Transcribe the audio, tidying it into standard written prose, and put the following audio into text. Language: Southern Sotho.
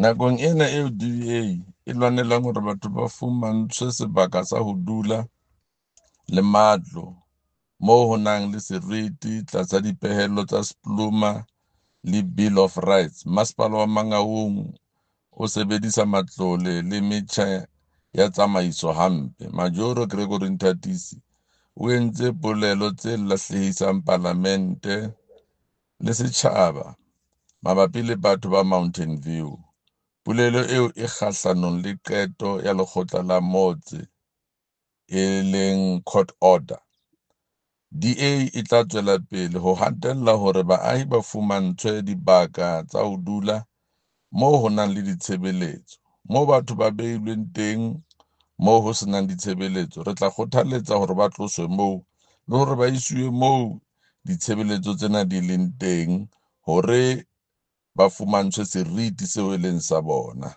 Nakong ena eo DA e lwanelang hore batho ba fumantshwe sebaka sa ho dula le matlo moo ho nang le seriti tlasa dipehelo tsa SPLUMA le Bill of Rights, Masepala wa Mangaung o sebedisa matlole le metjha ya tsamaiso hampe. Majoro Gregory Nthatisi o entse polelo tse lahlehisang Palamente le setjhaba mabapi le batho ba Mountain View. Polelo eo e kgahlanong le qeto ya lekgotla la motse e leng court order. DA e tla tswela pele ho hatella hore baahi ba fumantshwe dibaka tsa ho dula moo ho nang le ditshebeletso. Moo batho ba beilweng teng moo ho senang ditshebeletso, re tla kgothaletsa hore ba tloswe moo le hore ba isiwe moo ditshebeletso tsena di leng teng hore ba fumantshwe seriti seo e leng sa bona.